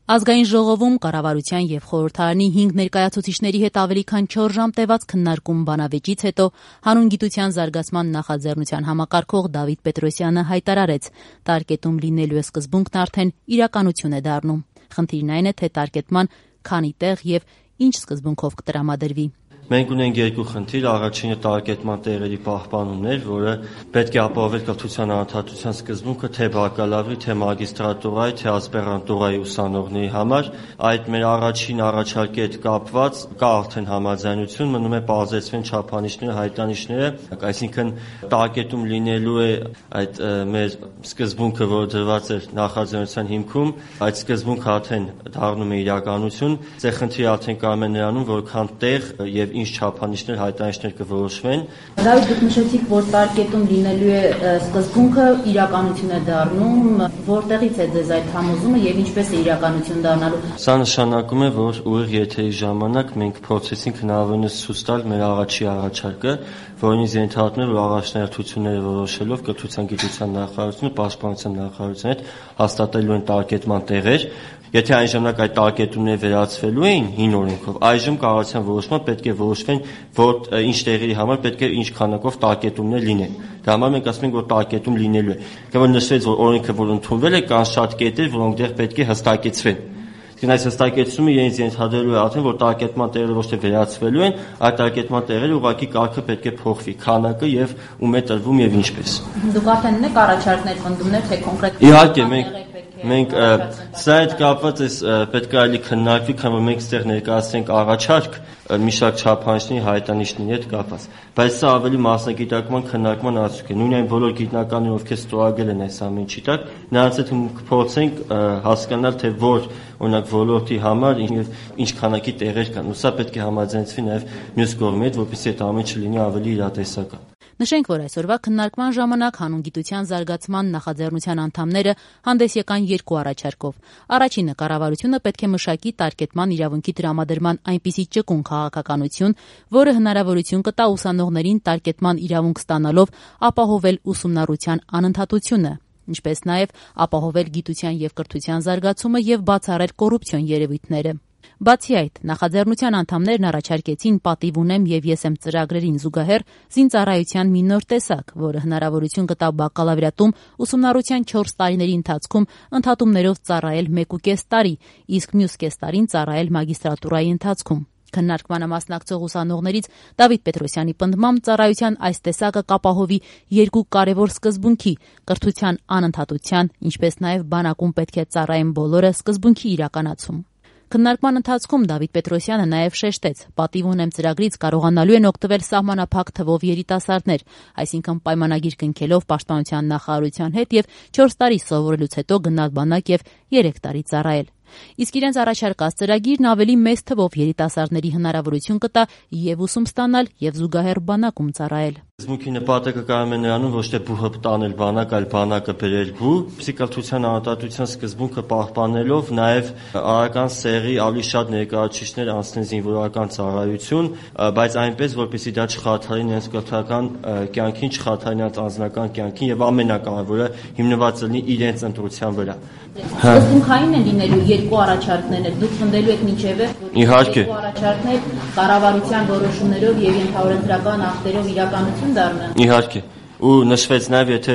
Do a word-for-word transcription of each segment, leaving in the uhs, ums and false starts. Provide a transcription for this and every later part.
Ազգային ժողովում կառավարության եւ խորհրդարանի հինգ ներկայացուցիչների հետ ավելի քան չորս ժամ տևած քննարկում բանավեճից հետո հանուն գիտության զարգացման նախաձեռնության համակարգող Դավիթ Պետրոսյանը հայտարարեց՝ տարկետում լինելու է սկզբունքն արդեն իրականություն է դառնում։ Խնդիրն այն է, թե տարկետման քանի տեղ եւ ինչ սկզբունքով կտրամադրվի։ Մենք ունենք երկու խնդիր, առաջինը տարկետման տեղերի պահպանումն էր, որը պետք է ապահովել կրթության անընդհատության սկզբունքը թե բակալավրի, թե մագիստրատուրայի, թե ասպիրանտուրայի ուսանողների համար։ Այդ մեր առաջին առաջարկի հետ կապված կա արդեն համաձայնություն, մնում է պարզեցվեն չափանիշները, հայտանիշները, այսինքն տարկետում լինելու է այդ մեր սկզբունքը, որը դրված էր նախաձեռնության հիմքում, այդ սկզբունքը արդեն դառնում է իրականություն։ Ձեր խնդիրը արդեն կայանում է նրանում, որքան տեղ եւ ինչ չափանիշներ, հայտանիշներ կորոշվեն։ Դավիթ, դուք նշեցիք, որ տարկետում լինելու է սկզբունքը իրականություն է դառնում, որտեղից է ձեզ այդ համոզումը եւ ինչպես է իրականություն դառնալու։ Սա նշանակում է, որ ուղիղ եթերի ժամանակ մենք փորձեցինք հնարավորինս ցույց տալ մեր առաջի առաջարկը, որին ենթադրում է, որ առաջնահերթությունները որոշելով կրթության գիտության նախարարությունը, պաշտպանության նախարարության հետ հաստատելու են տարկետման տեղեր։ Եթե այն ժամանակ այդ տարկետումները վերացվելու էին հին օրենքով, այժմ կառավարության որոշմամբ պետք է որոշվեն, որ ինչ տեղերի համար պետք է ինչ քանակով տարկետումներ լինեն։ Դա համար մենք ասում ենք, որ տարկետում լինելու է։ Կամ որ նշվեց, որ օրենքը որ ընդունվել է, կան շատ կետեր, որոնք դեռ պետք է հստակեցվեն։ Իսկ այս հստակեցումը իրենց ենթադրելու է արդեն, որ տարկետման տեղերը ոչ թե վերացվելու են, այլ տարկետման տեղերը ուղղակի կարգը պետք է փոխվի, քանակը եւ ում է տրվում եւ ինչպես։ Դուք արդեն ունեք առաջարկներ, պնդումներ, թե կոնկրետ։ Իհարկե, մենք Մենք սա այդ կապված է պետք է այլի քննարկվի, քան որ մենք ստեղ ներկայացնենք առաջարկ մի շարք չափանիշների հայտանիշների հետ կապված։ Բայց սա ավելի մասնագիտական քննարկման արդյունք է։ Նույն այն բոլոր գիտնականները, ովքեր ստորագրել են այս ամեն ինչի տակ, նրանց հետ կփորձենք հասկանալ, թե որ օրինակ ոլորտի համար ինչ քանակի տեղեր կան։ Ու սա պետք է համաձայնվի նաև մյուս կողմի հետ, որպեսզի այդ ամեն ինչը լինի ավելի իրատեսական։ Նշենք, որ այսօրվա քննարկման ժամանակ հանուն գիտության զարգացման նախաձեռնության անդամները հանդես եկան երկու առաջարկով։ Առաջինը կառավարությունը պետք է մշակի տարկետման իրավունքի տրամադրման այնպիսի ճկուն քաղաքականություն, որը հնարավորություն կտա ուսանողներին տարկետման իրավունք ստանալով ապահովել ուսումնառության անընդհատությունը, ինչպես նաև ապահովել գիտության եւ կրթության զարգացումը եւ բացառել կոռուպցիոն երևույթները։ Բացի այդ, նախաձեռնության անդամներն առաջարկեցին պատիվ ունեմ եւ ես եմ ծրագրերին զուգահեռ զինծառայության մի նոր տեսակ, որը հնարավորություն կտա բակալավրիատում ուսումնառության չորս տարիների ընթացքում ընդհատումներով ծառայել մեկ ու կես տարի, իսկ մյուս կես տարին ծառայել մագիստրատուրայի ընթացքում։ Քննարկմանը մասնակցող ուսանողներից Դավիթ Պետրոսյանի պնդմամբ ծառայության այս տեսակը կապահովի երկու կարևոր սկզբունքի՝ կրթության անընդհատության, ինչպես նաև բանակում պետք է ծառայեն բոլորը սկզբունքի իրականացում։ Քննարկման ընթացքում Դավիթ Պետրոսյանը նաև շեշտեց, պատիվ ունեմ ծրագրից կարողանալու են օգտվել սահմանափակ թվով երիտասարդներ, այսինքն պայմանագիր կնքելով պաշտպանության նախարարության հետ եւ չորս տարի սովորելուց հետո գնալ բանակ եւ երեք տարի ծառայել։ Իսկ իրենց առաջարկած ծրագիրն ավելի մեծ թվով երիտասարդների հնարավորություն կտա եւ ուսում ստանալ եւ զուգահեռ բանակում ծառայել։ Սկզբունքի նպատակը կայանում է նրանում ոչ թե բուհը տանել բանակ, այլ բանակը բերել բու, կրթության անընդհատության սկզբունքը պահպանելով նաև արական սեռի ավելի շատ ներկայացուցիչներ անցնեն զինվորական ծառայություն, բայց այնպես, որպեսզի դա չխաթարի նրանց կրթական կյանքին, չխաթարի նրանց անձնական կյանքին եւ ամենակարևորը հիմնված լինի իրենց ընտրության վրա։ Սկզբունքային են լինելու երկու առաջարկներն են, դուք խնդելու եք միջևը, որ երկու առաջարկներ կառավարության որոշումներով եւ ենթահորենսդրական ակտերով իրականություն դառնան։ Իհարկե։ Ու նշվեց նաև, եթե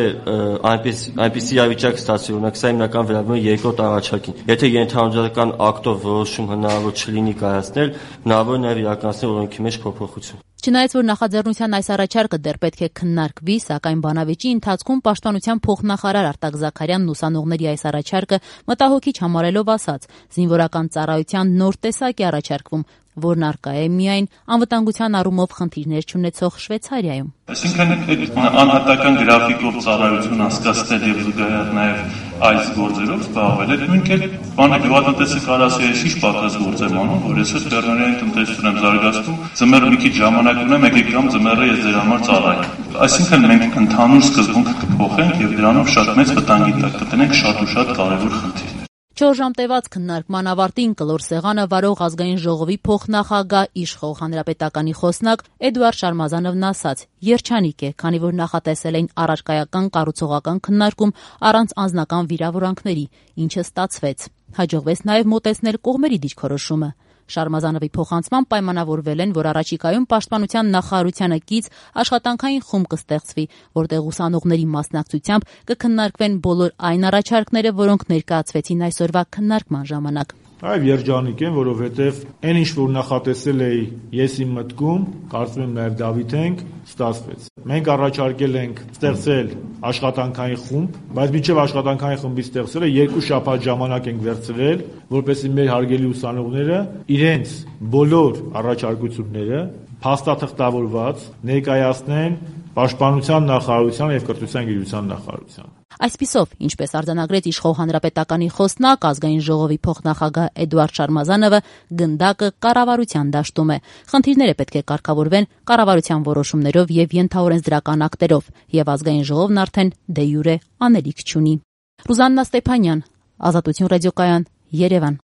այնպես այնպիսի իրավիճակ ստացվի, օրինակ սա հիմնական վերաբերում է երկրորդ առաջարկին։ Եթե ենթահորենսդրական ակտով որոշում հնարավոր չլինի կայացնել, հնարավոր է նաև իրականացնել օրենքի մեջ փոփոխություն։ Չնայած որ նախաձեռնության այս առաջարկը դեռ պետք է քննարկվի, սակայն բանավեճի ընթացքում պաշտպանության փոխնախարար Արտակ Զաքարյանն ուսանողների այս առաջարկը մտահոգիչ համարելով ասաց. զինվորական ծառայության նոր տեսակ է առաջարկվում, որն առկա է միայն անվտանգության առումով խնդիրներ չունեցող Շվեյցարիայում։ Այսինքն անհատական գրաֆիկով ծառայություն անցկացնել եւ զուգահեռ նաեւ այս գործերով զբաղվել է նույն կերպ բանը գյուղատնտեսը կարասի է շիշ պատրաստ գործ եմ անում, որ ես Լեռնային տնտեսություն եմ զարգացնում, ձմեռ մի քիչ ժամանակ ունեմ, եկեք կամ ձմեռը ես ձեր համար ծառայեմ։ Այսինքն մենք ընդհանուր սկզբունքը կփոխենք եւ դրանով շատ մեծ վտանգի տակ կտնենք շատ ու շատ կարեւոր խնդիրներ։ Չորս ժամ տևած քննարկման ավարտին կլոր սեղանը վարող ազգային ժողովի փոխնախագահ իշխող հանրապետականի խոսնակ Էդուարդ Շարմազանովն ասաց. երջանիկ է, քանի որ նախատեսել էին առարկայական կառուցողական քննարկում առանց անձնական վիրավորանքների, ինչը ստացվեց։ Հաջողվեց նաև մոտեցնել կողմերի դիրքորոշումը։ Շարմազանովի փոխանցմամբ պայմանավորվել են, որ առաջիկայում Պաշտպանության նախարարությանը կից աշխատանքային խումբ կստեղծվի, որտեղ ուսանողների մասնակցությամբ կքննարկվեն բոլոր այն առաջարկները, որոնք ներկայացվեցին այսօրվա քննարկման ժամանակ։ Այո, երջանիկ եմ, որովհետև այն ինչ որ նախատեսել էի ես իմ մտքում, կարծում եմ նաև Դավիթենք, ստացվեց։ Մենք առաջարկել ենք ստեղծել աշխատանքային խումբ, բայց մինչև աշխատանքային խմբի ստեղծելը երկու շաբաթ ժամանակ ենք վերցրել, որպեսզի մեր հարգելի ուսանողները իրենց բոլոր առաջարկությունները փաստաթղթավորված ներկայացնեն Պաշտպանության նախարարության եւ Կրթության գիտության նախարարության։ Այսպիսով, ինչպես արձանագրեց Իշխող հանրապետականի խոսնակ ազգային ժողովի փոխնախագահ Էդուարդ Շարմազանովը, գնդակը կառավարության դաշտում է։ Խնդիրները պետք է կարգավորվեն կառավարության որոշումներով եւ ենթաօրենսդրական ակտերով, եւ ազգային ժողովն արդեն դե յուրե անելիք չունի։ Ռուզաննա Ստեփանյան, Ազատություն ռադիոկայան, Երևան։